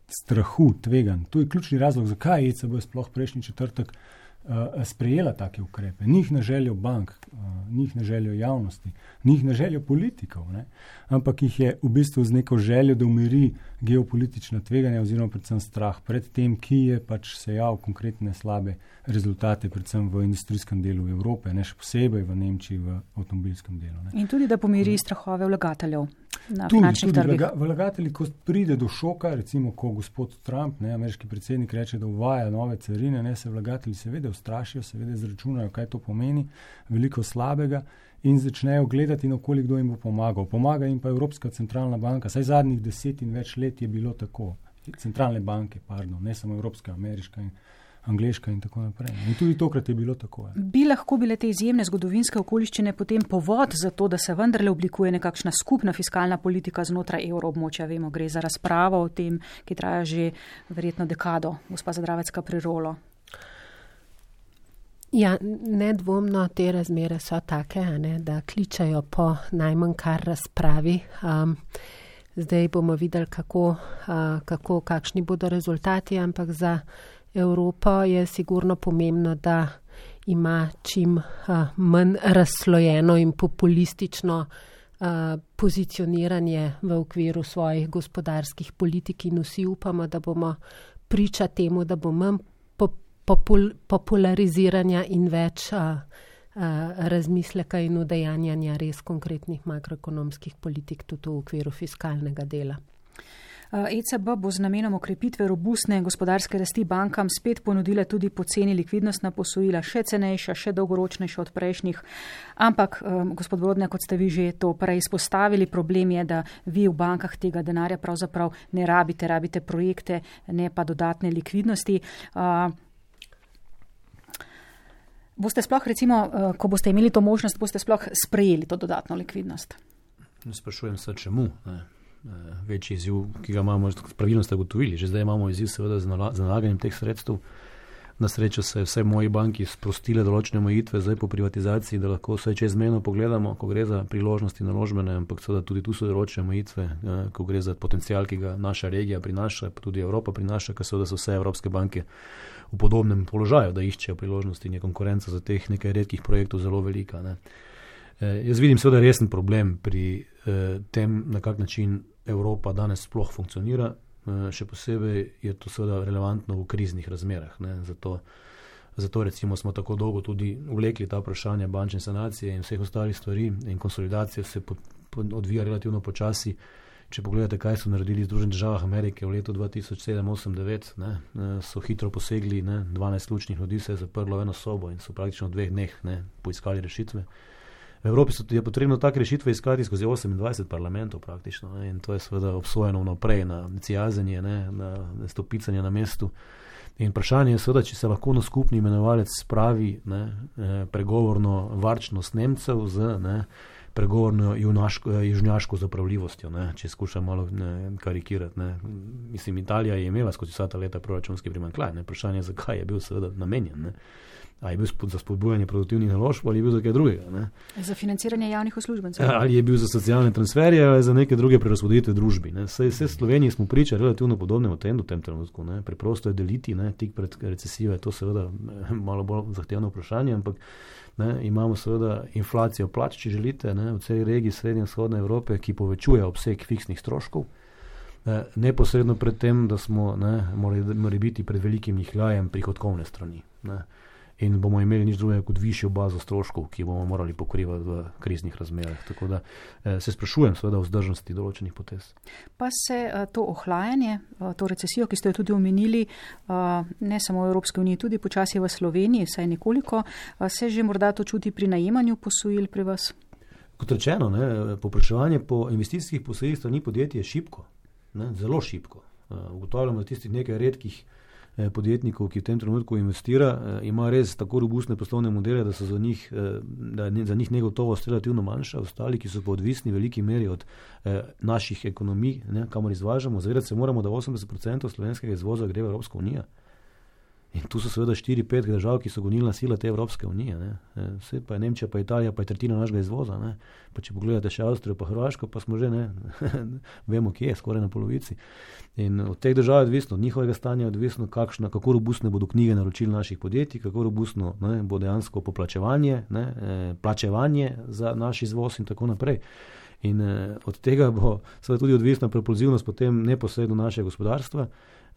strahu, tveganj, to je ključni razlog, zakaj je E C B sploh prejšnji četrtek uh, sprejela take ukrepe. Njih na željo bank, uh, njih na željo javnosti, njih na željo politikov, ne? Ampak jih je v bistvu z neko željo, da umiri geopolitična tveganja oziroma predvsem strah pred tem, ki je pač sejal konkretne slabe rezultate, predvsem v industrijskem delu Evrope, ne še posebej v Nemčiji, v avtomobilskem delu. Ne? In tudi, da pomiri strahove vlagateljev na tudi, finančnih tudi trgih. Vlaga, vlagatelji, ko pride do šoka, recimo, ko gospod Trump, ne, ameriški predsednik, reče, da uvaja nove carine, ne, se vlagatelji seveda ustrašijo, seveda izračunajo, kaj to pomeni, veliko slabega in začnejo gledati, na koliko kdo jim bo pomagal. Pomaga jim pa Evropska centralna banka, saj zadnjih deset in več let je bilo tako. Centralne banke, pardon, ne samo Evropska, ameriška in angleška in tako naprej. In tudi tokrat je bilo tako. Je. Bi lahko bile te izjemne zgodovinske okoliščine potem povod za to, da se vendarle oblikuje nekakšna skupna fiskalna politika znotraj evroobmočja? Vemo, gre za razpravo o tem, ki traja že verjetno dekado. Gospa Zadravecka Prirolo. Ja, nedvomno te razmere so take, ne, da kličajo po najmanj kar razpravi. Um, zdaj bomo videli, kako, uh, kako, kakšni bodo rezultati, ampak za Evropo je sigurno pomembno, da ima čim uh, manj razslojeno in populistično uh, pozicioniranje v okviru svojih gospodarskih politik in vsi upamo, da bomo priča temu, da bo manj popul- populariziranja in več uh, uh, razmisleka in udejanjanja res konkretnih makroekonomskih politik tudi v okviru fiskalnega dela. E C B bo z namenom okrepitve robustne gospodarske rasti bankam spet ponudila tudi poceni likvidnostna posojila, še cenejša, še dolgoročnejša od prejšnjih. Ampak, um, gospod Brodnjak, kot ste vi že to prej izpostavili, problem je, da vi v bankah tega denarja pravzaprav ne rabite, rabite projekte, ne pa dodatne likvidnosti. Uh, boste sploh, recimo, uh, ko boste imeli to možnost, boste sploh sprejeli to dodatno likvidnost? Sprašujem se, čemu, ne? Večji izziv, ki ga imamo, pravilno ste gotovili. Že zdaj imamo izziv seveda z nalaganjem teh sredstev. Na srečo se vse moji banki sprostile določene omejitve zdaj po privatizaciji, da lahko vse čezmejno pogledamo, ko gre za priložnosti naložbene, ampak seveda tudi tu so določene omejitve, ko gre za potencial, ki ga naša regija prinaša, pa tudi Evropa prinaša, ker seveda so vse evropske banke v podobnem položaju, da iščejo priložnosti in je konkurenca za teh nekaj redkih projektov zelo velika, ne. Jaz vidim seveda resen problem pri eh, tem, na kak način Evropa danes sploh funkcionira. Eh, še posebej je to seveda relevantno v kriznih razmerah. Ne. Zato, zato recimo smo tako dolgo tudi vlekli ta vprašanja bančne sanacije in vseh ostalih stvari in konsolidacija se po, po, odvija relativno počasi. Če pogledate, kaj so naredili Združene države Amerike v letu dva tisoč sedem, osem, devet, ne, so hitro posegli, ne, dvanajst ključnih ljudi se je zaprlo v eno sobo in so praktično v dveh dneh ne, poiskali rešitve. V Evropi je potrebno take rešitve iskati skozi osemindvajset parlamentov praktično, ne, in to je seveda obsojeno vnaprej na cijazenje, ne, na stopicanje na mestu. In vprašanje je seveda, če se lahko na skupni imenovalec spravi ne, pregovorno varčnost Nemcev z ne, pregovorno južnjaško zapravljivostjo, ne, če skušam malo ne, karikirati. Ne. Mislim, Italija je imela skozi vsa ta leta proračunski primanjkljaj. Vprašanje je, zakaj je bil seveda namenjen. Ne. Ali je bil za spodbujanje produktivnih naložb ali je bil za kaj drugega. Ne? Za financiranje javnih uslužbencev. Ali je bil za socialne transferje ali za neke druge prerazporeditve družbi. Ne? Saj vse v Sloveniji smo priča relativno podobnemu trendu v tem trenutku. Ne? Preprosto je deliti, ne? Tik pred recesijo je to seveda malo bolj zahtevno vprašanje, ampak ne? Imamo seveda inflacijo plač, če želite, ne? V celi regiji srednje in vzhodne Evrope, ki povečuje obseg fiksnih stroškov. Ne? Neposredno pred tem, da smo ne, morali, morali biti pred velikim nihljajem prihodkovne strani. Ne? In bomo imeli nič drugega kot višjo bazo stroškov, ki bomo morali pokrivati v kriznih razmerah. Tako da eh, se sprašujem seveda o vzdržnosti določenih potez. Pa se eh, to ohlajanje, eh, to recesijo, ki ste jo tudi omenili, eh, ne samo v Evropski uniji, tudi počasi v Sloveniji, saj nekoliko, eh, se že morda to čuti pri najemanju posojil pri vas? Kot rečeno, ne, povpraševanje po investicijskih posojilih strani podjetij je šibko, ne, zelo šibko. Uh, ugotavljamo, da tistih nekaj redkih podjetnikov, ki v tem trenutku investira, ima res tako robustne poslovne modele, da so za njih, da je za njih negotovost relativno manjša, ostali, ki so pa odvisni v veliki meri od naših ekonomij, ne, kamor izvažamo. Zavedati se moramo, da osemdeset procentov slovenskega izvoza gre v Evropsko unijo. In tu so seveda štiri pet držav, ki so gonilna sila te Evropske unije. Ne. Vse pa je Nemčija, pa Italija, pa je tretjina našega izvoza. Ne. Pa če pogledate še Avstrijo, pa Hrvaško, pa smo že, ne, vemo, kje je, skoraj na polovici. In od teh držav je odvisno, od njihovega stanja je odvisno, kakšna, kako robustne bodo knjige naročil naših podjetij, kako robustno, ne, bo dejansko poplačevanje, ne, plačevanje za naš izvoz in tako naprej. In od tega bo seveda tudi odvisna propulzivnost potem neposredno našega gospodarstva.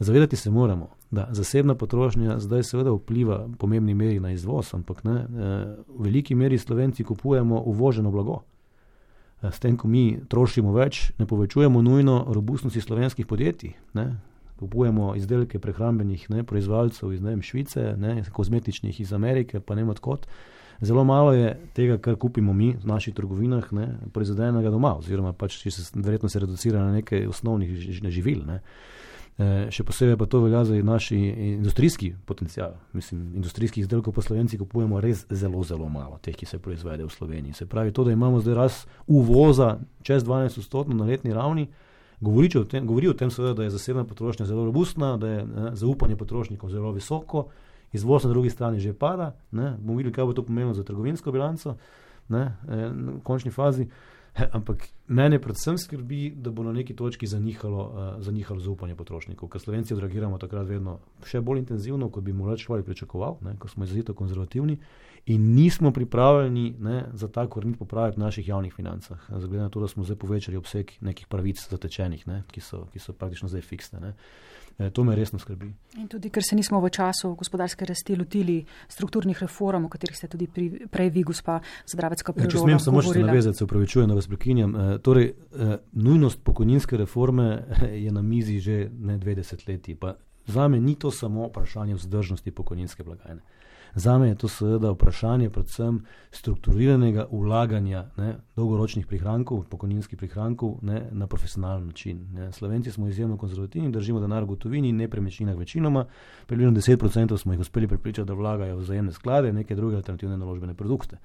Zavedati se moramo, da zasebna potrošnja zdaj seveda vpliva v pomembni meri na izvoz, ampak ne, v veliki meri Slovenci kupujemo uvoženo blago. S tem, ko mi trošimo več, ne povečujemo nujno robustnosti slovenskih podjetij. Ne. Kupujemo izdelke prehrambenih, ne, proizvajalcev iz, ne vem, Švice, ne, kozmetičnih iz Amerike, pa ne vem odkot. Zelo malo je tega, kar kupimo mi v naših trgovinah, ne, proizvedenega doma, oziroma pač se, verjetno se reducira na nekaj osnovnih živil. Ne. E, še posebej pa to velja za naš industrijski potencial. Mislim, industrijskih izdelkov po Slovenci kupujemo res zelo, zelo malo, teh, ki se proizvede v Sloveniji. Se pravi, to, da imamo zdaj rast uvoza čez dvanajst odstotkov na letni ravni, govori o tem, govori o tem seveda, da je zasebna potrošnja zelo robustna, da je, ne, zaupanje potrošnikov zelo visoko, izvoz na drugi strani že pada, ne, bomo videli, kaj bo to pomenilo za trgovinsko bilanco, ne, v končni fazi. Ampak mene predvsem skrbi, da bo na neki točki zanihalo, uh, zanihalo zaupanje potrošnikov, ker Slovenci odreagiramo takrat vedno še bolj intenzivno, kot bi morda človek pričakoval, ne, ko smo izrazito konzervativni in nismo pripravljeni, ne, za ta korenit popravek v naših javnih financah. Glede na to, da smo zdaj povečali obseg nekih pravic zatečenih, ne, ki so, ki so praktično zdaj fiksne. Ne. E, to me resno skrbi. In tudi, ker se nismo v času gospodarske rasti lotili strukturnih reform, o katerih ste tudi pri, prej vi, gospa Zadravecka Prirola, govorila. Če smem samo še se navezati, se upravičujem, da vas prekinjam. E, torej, e, nujnost pokojninske reforme je na mizi že ne dve desetletji. Pa zame ni to samo vprašanje vzdržnosti pokojninske blagajne. Zame je to seveda vprašanje predvsem strukturiranega vlaganja, ne, dolgoročnih prihrankov, pokojninskih prihrankov, ne, na profesionalen način. Ne. Slovenci smo izjemno konzervativni, držimo denar v gotovini in nepremičninah večinoma. Približno deset procentov smo jih uspeli prepričati, da vlagajo v vzajemne sklade, neke druge alternativne naložbene produkte.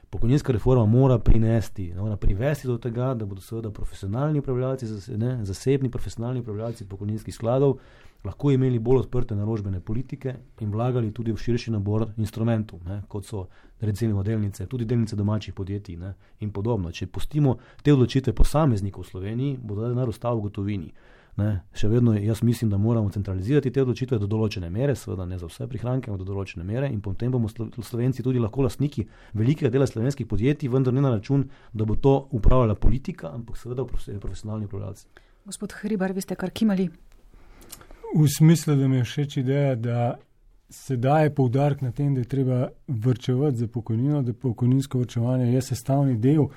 Pokojninska reforma mora prinesti, mora privesti do tega, da bodo seveda profesionalni upravljalci, ne, zasebni profesionalni upravljalci pokojninskih skladov lahko imeli bolj odprte naložbene politike in vlagali tudi v širši nabor instrumentov, ne, kot so recimo delnice, tudi delnice domačih podjetij, ne, in podobno. Če pustimo te odločitve posameznikov v Sloveniji, bo denar ostal v gotovini. Ne. Še vedno jaz mislim, da moramo centralizirati te odločitve do določene mere, seveda ne za vse prihranke, ampak do določene mere, in potem bomo Slovenci tudi lahko lastniki velikega dela slovenskih podjetij, vendar ne na račun, da bo to upravljala politika, ampak seveda profesionalni upravljalci. Gospod Hribar, vi ste kar kimali. V smislu, da mi je všeč ideja, da se daje poudarek na tem, da je treba vrčevati za pokojnino, da pokojninsko vrčevanje je sestavni del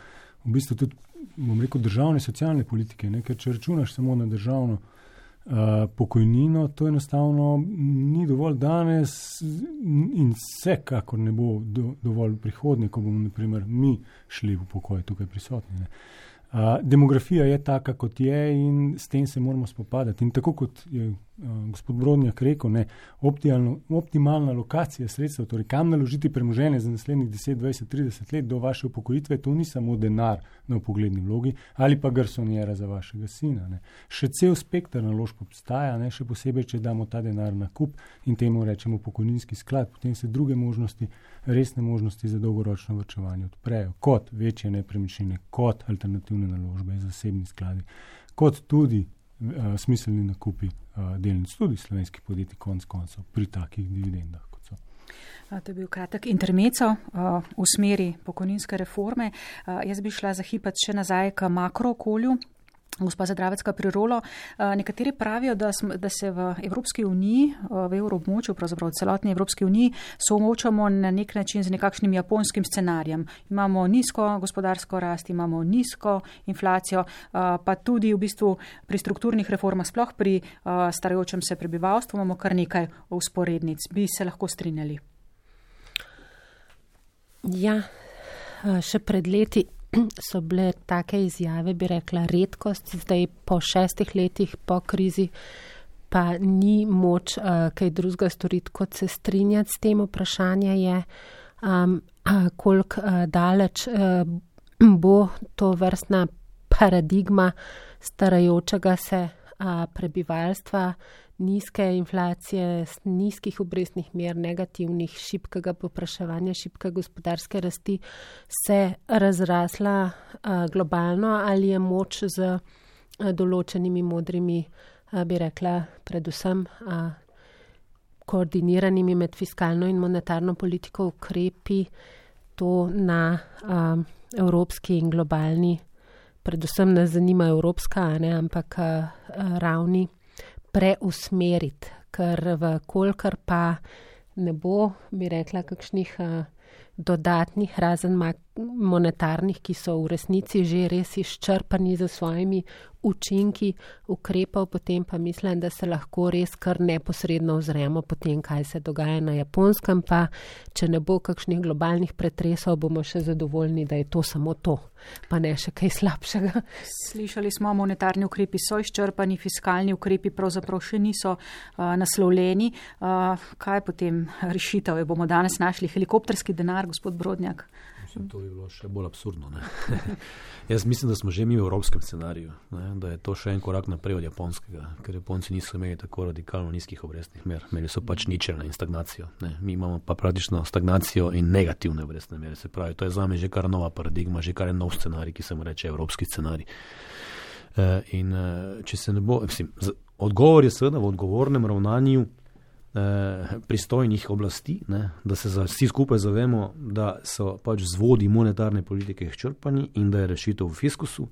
v bistvu tudi, bom rekel, državne socialne politike, ne? Ker če računaš samo na državno uh, pokojnino, to enostavno ni dovolj danes in vsekakor ne bo do, dovolj prihodnje, ko bomo naprimer mi šli v pokoj tukaj prisotni. Ne? Uh, demografija je taka, kot je, in s tem se moramo spopadati. In tako kot je uh, gospod Brodnjak rekel, ne, optimalno, optimalna lokacija sredstev, torej kam naložiti premoženje za naslednjih deset, dvajset, trideset let do vaše upokojitve, to ni samo denar na vpogledni vlogi ali pa garsonjera za vašega sina. Ne. Še cel spektr naložb obstaja, ne, še posebej, če damo ta denar na kup in temu rečemo pokojninski sklad, potem se druge možnosti, resne možnosti za dolgoročno vrčevanje odprejo, kot večje nepremičnine, kot alternativne naložbe, zasebni skladi, kot tudi uh, smiselni nakupi uh, delnic tudi slovenskih podjetij konc koncev pri takih dividendah, kot so. To je bil kratek intermeco uh, v smeri pokojninske reforme. Uh, jaz bi šla za hipet še nazaj k makrookolju. Gospa Zadravecka Prirola, nekateri pravijo, da, sm, da se v Evropski uniji, v evroobmočju, pravzaprav v celotni Evropski uniji, soočamo na nek način z nekakšnim japonskim scenarijem. Imamo nizko gospodarsko rast, imamo nizko inflacijo, pa tudi v bistvu pri strukturnih reformah, sploh pri starajočem se prebivalstvu, imamo kar nekaj usporednic. Bi se lahko strinjali? Ja, še pred leti so bile take izjave, bi rekla, redkost. Zdaj po šestih letih po krizi pa ni moč uh, kaj drugega storiti, kot se strinjati s tem. Vprašanje je, um, uh, koliko uh, daleč uh, bo to vrstna paradigma starajočega se uh, prebivalstva, nizke inflacije, nizkih obrestnih mer, negativnih, šibkega popraševanja, šibke gospodarske rasti se razrasla uh, globalno, ali je moč z uh, določenimi modrimi, uh, bi rekla, predvsem uh, koordiniranimi med fiskalno in monetarno politiko ukrepi to na uh, evropski in globalni, predvsem nas zanima evropska, a ne, ampak uh, ravni, preusmeriti, ker v kolikor pa ne bo, bi rekla, kakšnih uh, dodatnih, razen monetarnih, ki so v resnici že res izčrpani za svojimi učinki ukrepov, potem pa mislim, da se lahko res kar neposredno ozremo potem, kaj se dogaja na Japonskem, pa če ne bo kakšnih globalnih pretresov, bomo še zadovoljni, da je to samo to, pa ne še kaj slabšega. Slišali smo, monetarni ukrepi so izčrpani, fiskalni ukrepi pravzaprav še niso uh, naslovljeni. Uh, kaj potem rešitev? Bomo danes našli helikopterski denar, gospod Brodnjak? Mislim, to bi bilo še bolj absurdno. Ne? Jaz mislim, da smo že mi v evropskem scenariju, ne? Da je to še en korak naprej od japonskega, ker Japonci niso imeli tako radikalno nizkih obrestnih mer, imeli so pač ničelne in stagnacijo. Ne? Mi imamo pa praktično stagnacijo in negativne obrestne mere, se pravi, to je zame že kar nova paradigma, že kar je nov scenarij, ki se mu reče evropski scenarij. E, in če se ne bo, mislim, odgovor je seveda v odgovornem ravnanju pristojnih oblasti, ne, da se za vsi skupaj zavemo, da so pač vzvodi monetarne politike izčrpani in da je rešitev v fiskusu.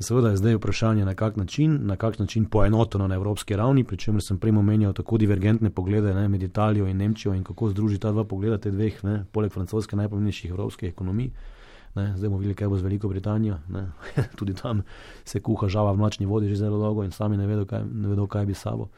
Seveda je zdaj vprašanje, na kak način, na kak način poenoteno na evropski ravni, pri čemer sem prej omenjal tako divergentne poglede, ne, med Italijo in Nemčijo in kako združi ta dva pogleda, te dveh, ne, poleg francoske najpomembnejših evropskih ekonomij. Ne, zdaj bomo videli, kaj bo z Veliko Britanijo. Ne. Tudi tam se kuha žava v mlačni vodi že zelo dolgo in sami ne vedo, kaj, ne vedo, kaj bi sabo.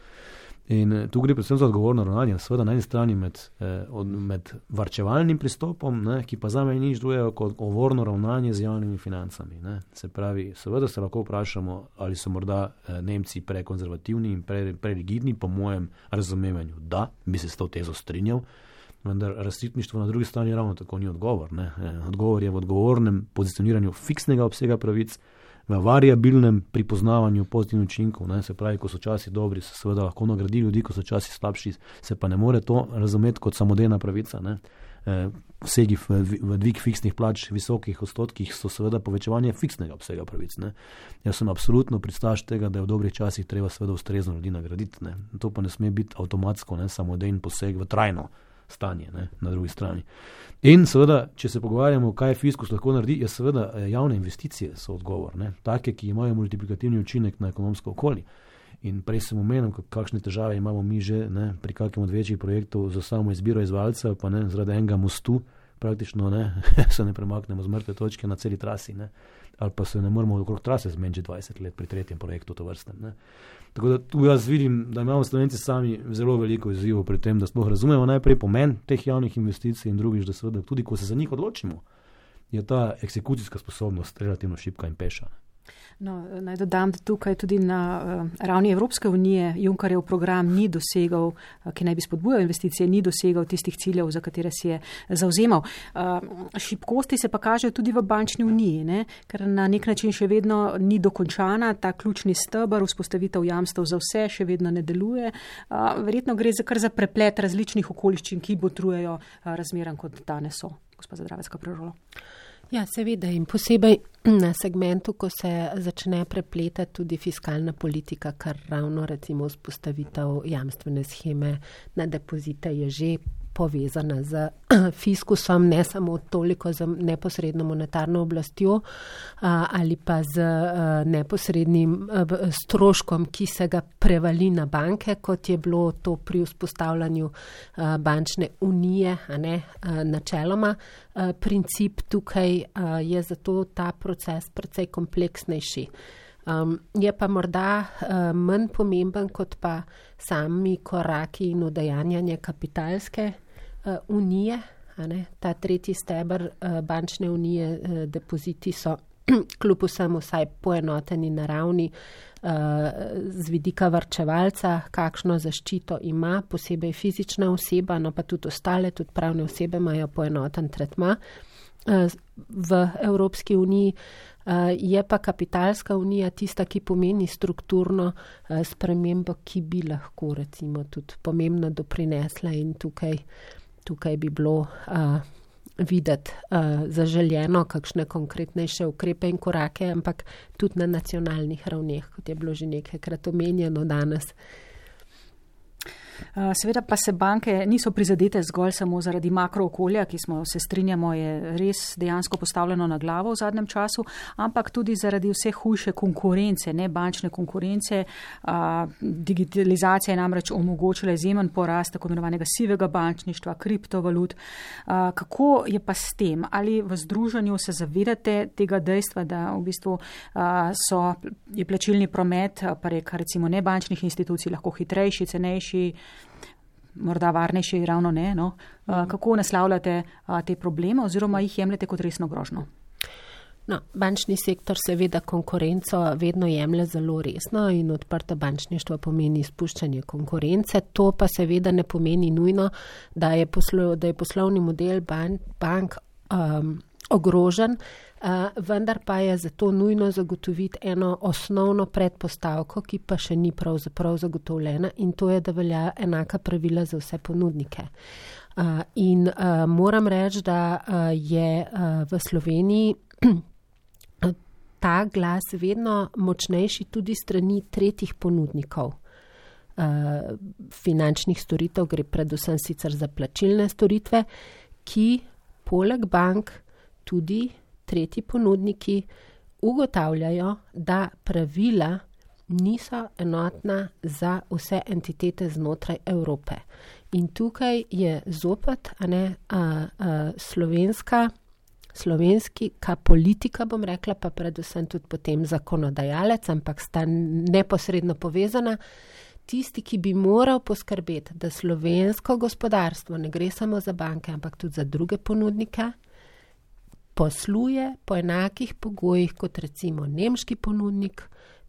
In tu gre predvsem za odgovorno ravnanje, seveda na eni strani med, eh, od, med varčevalnim pristopom, ne, ki pa zame nič drugega kot odgovorno ravnanje z javnimi financami. Ne. Se pravi, seveda se lahko vprašamo, ali so morda eh, Nemci prekonzervativni in pre, prerigidni, po mojem razumevanju, da bi se s to tezo strinjal, vendar razsipništvo na drugi strani ravno tako ni odgovor. Ne. Eh, odgovor je v odgovornem pozicioniranju fiksnega obsega pravic, v variabilnem pripoznavanju pozitivnih učinkov, ne, se pravi, ko so časi dobri, se seveda lahko nagradi ljudi, ko so časi slabši, se pa ne more to razumeti kot samodejna pravica. Ne. E, vsegi v, v dvig fiksnih plač, visokih odstotkih so seveda povečevanje fiksnega obsega pravic. Ne. Jaz sem absolutno pristaš tega, da je v dobrih časih treba seveda ustrezno ljudi nagraditi. Ne. To pa ne sme biti avtomatsko, ne, samodejen poseg v trajno stanje, ne, na drugi strani. In seveda, če se pogovarjamo, kaj fiskus lahko naredi, je seveda javne investicije so odgovor, ne, take, ki imajo multiplikativni učinek na ekonomsko okolje. In prej sem omenil, kakšne težave imamo mi že, ne, pri kakem od večjih projektov za samo izbiro izvajalca, pa ne, zaradi enega mostu praktično ne, se ne premaknemo z mrtve točke na celi trasi, ne, ali pa se ne moramo okrog trase zmeniti dvajset let pri tretjem projektu to vrstnem. Ne. Tako da tu jaz vidim, da imamo Slovenci sami zelo veliko izzivov pri tem, da sploh razumemo najprej pomen teh javnih investicij in drugič, da seveda tudi, ko se za njih odločimo, je ta eksekucijska sposobnost relativno šibka in peša. No, naj dodam, da tukaj tudi na uh, ravni Evropske unije Junckerjev program ni dosegal, uh, ki naj bi spodbujal investicije, ni dosegal tistih ciljev, za katere si je zauzemal. Uh, šibkosti se pa kažejo tudi v bančni uniji, ne? Ker na nek način še vedno ni dokončana, ta ključni steber, vzpostavitev jamstev za vse še vedno ne deluje. Uh, verjetno gre za kar za preplet različnih okoliščin, ki botrujejo uh, razmeram, kot danes so. Gospa Zadravecka Prežolo. Ja, seveda in posebej na segmentu, ko se začne prepletati tudi fiskalna politika, kar ravno recimo vzpostavitev jamstvene sheme na depozite je že povezana z fiskusom, ne samo toliko z neposredno monetarno oblastjo ali pa z neposrednim stroškom, ki se ga prevali na banke, kot je bilo to pri vzpostavljanju bančne unije, a ne, načeloma. Princip tukaj je zato ta proces precej kompleksnejši. Um, je pa morda uh, manj pomemben kot pa sami koraki in udejanjanje kapitalske uh, unije. A ne? Ta tretji steber uh, bančne unije, uh, depoziti so kljub vsemu vsaj poenoteni na ravni z vidika varčevalca, kakšno zaščito ima, posebej fizična oseba, no pa tudi ostale, tudi pravne osebe imajo poenoten tretma v Evropski uniji. Je pa kapitalska unija tista, ki pomeni strukturno spremembo, ki bi lahko recimo tudi pomembno doprinesla in tukaj, tukaj bi bilo videti uh, zaželjeno kakšne konkretnejše ukrepe in korake, ampak tudi na nacionalnih ravneh, kot je bilo že nekajkrat omenjeno danes. Seveda pa se banke niso prizadete zgolj samo zaradi makrookolja, ki smo se strinjamo, je res dejansko postavljeno na glavo v zadnjem času, ampak tudi zaradi vse hujše konkurence, ne bančne konkurence. Digitalizacija je namreč omogočila izjemen porast tako imenovanega sivega bančništva, kriptovalut. Kako je pa s tem? Ali v združenju se zavedate tega dejstva, da v bistvu so, je plačilni promet prek recimo nebančnih institucij lahko hitrejši, cenejši, morda varnejši, ravno ne, no? Kako naslavljate te probleme oziroma jih jemljete kot resno grožno? No, bančni sektor seveda konkurenco vedno jemlje zelo resno in odprto bančništvo pomeni izpuščanje konkurence. To pa seveda ne pomeni nujno, da je, poslo, da je poslovni model ban, bank um, ogrožen, Uh, vendar pa je zato nujno zagotoviti eno osnovno predpostavko, ki pa še ni pravzaprav zagotovljena, in to je, da velja enaka pravila za vse ponudnike. Uh, in uh, moram reči, da uh, je uh, v Sloveniji ta glas vedno močnejši tudi strani tretjih ponudnikov uh, finančnih storitev, gre predvsem sicer za plačilne storitve, ki poleg bank tudi tretji ponudniki ugotavljajo, da pravila niso enotna za vse entitete znotraj Evrope. In tukaj je zopet a ne, a, a, slovenska, slovenska politika, bom rekla, pa predvsem tudi potem zakonodajalec, ampak sta neposredno povezana, tisti, ki bi moral poskrbeti, da slovensko gospodarstvo ne gre samo za banke, ampak tudi za druge ponudnike, posluje po enakih pogojih kot recimo nemški ponudnik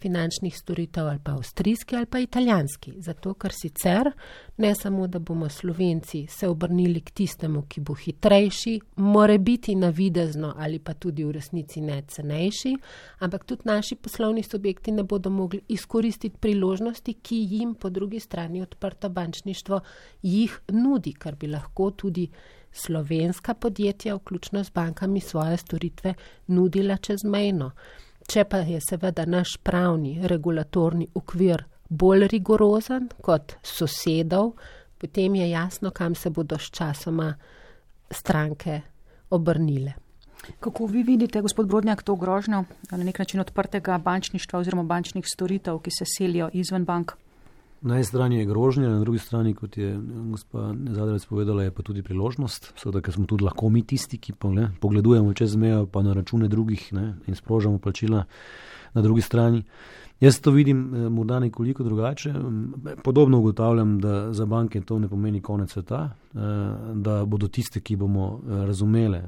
finančnih storitev ali pa avstrijski ali pa italijanski. Zato, ker sicer ne samo, da bomo Slovenci se obrnili k tistemu, ki bo hitrejši, more biti navidezno ali pa tudi v resnici ne cenejši, ampak tudi naši poslovni subjekti ne bodo mogli izkoristiti priložnosti, ki jim po drugi strani odprto bančništvo jih nudi, kar bi lahko tudi slovenska podjetja, vključno z bankami, svoje storitve nudila čezmejno. Če pa je seveda naš pravni regulatorni okvir bolj rigorozen kot sosedov, potem je jasno, kam se bodo s časoma stranke obrnile. Kako vi vidite, gospod Brodnjak, to grožnjo na nek način odprtega bančništva oziroma bančnih storitev, ki se selijo izven bank? Na eni strani je grožnja, na drugi strani, kot je gospa Zadravec povedala, je pa tudi priložnost, seveda, ker smo tudi lahko mi tisti, ki pa, ne, pogledujemo čez mejo pa na račune drugih, ne, in sprožamo plačila na drugi strani. Jaz to vidim morda nekoliko drugače. Podobno ugotavljam, da za banke to ne pomeni konec sveta, da bodo tiste, ki bomo razumele,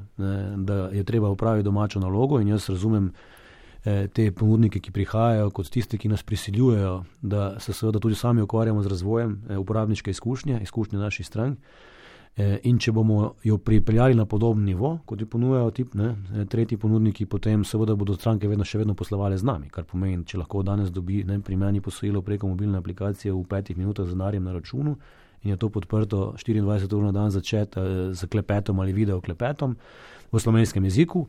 da je treba upraviti domačo nalogo, in jaz razumem te ponudnike, ki prihajajo, kot tiste, ki nas prisiljujejo, da se seveda tudi sami ukvarjamo z razvojem uporabniške izkušnje, izkušnje naših strank. In če bomo jo pripeljali na podoben nivo, kot jo ponujajo tip, ne, tretji ponudniki, potem seveda bodo stranke vedno še vedno poslovale z nami, kar pomeni, če lahko danes dobi, ne, pri meni posojilo preko mobilne aplikacije v petih minutah z denarjem na računu in je to podprto štiriindvajset ur na dan za chat z klepetom ali video klepetom v slovenskem jeziku,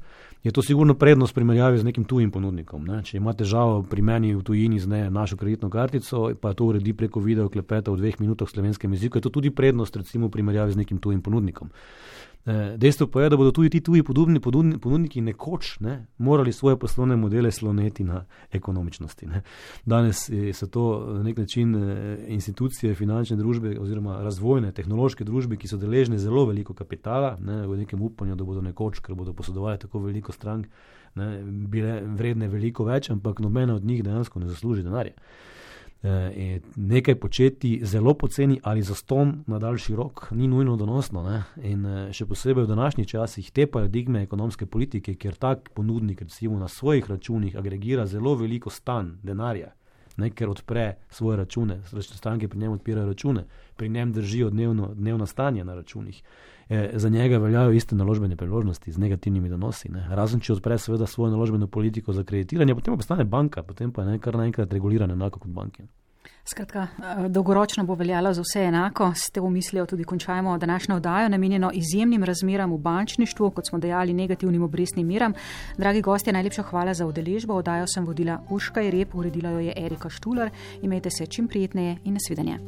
je to sigurno prednost primerjavi z nekim tujim ponudnikom. Ne. Če ima težavo pri meni v tujini z ne, našo kreditno kartico, pa to uredi preko video klepeta v dveh minutah v slovenskem jeziku, je to tudi prednost recimo v primerjavi z nekim tujim ponudnikom. Dejstvo pa je, da bodo tudi ti tuji podobni ponudniki nekoč, ne, morali svoje poslovne modele sloneti na ekonomičnosti. Ne. Danes so to na nek način institucije, finančne družbe oziroma razvojne, tehnološke družbe, ki so deležne zelo veliko kapitala, ne, v nekem upanju, da bodo nekoč, ker bodo posodovali tako veliko strank, ne, bile vredne veliko več, ampak nobena od njih dejansko ne zasluži denarja. E, nekaj početi zelo poceni ali zaston na daljši rok ni nujno donosno. Ne? In še posebej v današnjih časih te paradigme ekonomske politike, kjer tak ponudnik recimo na svojih računih agregira zelo veliko stan denarja, ne? Ker odpre svoje račune, stranke pri njem odpirajo račune, pri njem držijo dnevno, dnevno stanje na računih. E, za njega veljajo iste naložbene priložnosti z negativnimi donosi. Ne? Razen če odpre seveda svojo naložbeno politiko za kreditiranje, potem pa postane banka, potem pa je kar naenkrat regulirana enako kot banke. Skratka, dolgoročno bo veljalo za vse enako. S te mislijo tudi končajmo današnjo oddajo, namenjeno izjemnim razmeram v bančništvu, kot smo dejali, negativnim obrestnim meram. Dragi gostje, najlepša hvala za udeležbo. Oddajo sem vodila Urška Jereb, uredila jo je Erika Štular. Imejte se čim prijetneje in nasvidenje.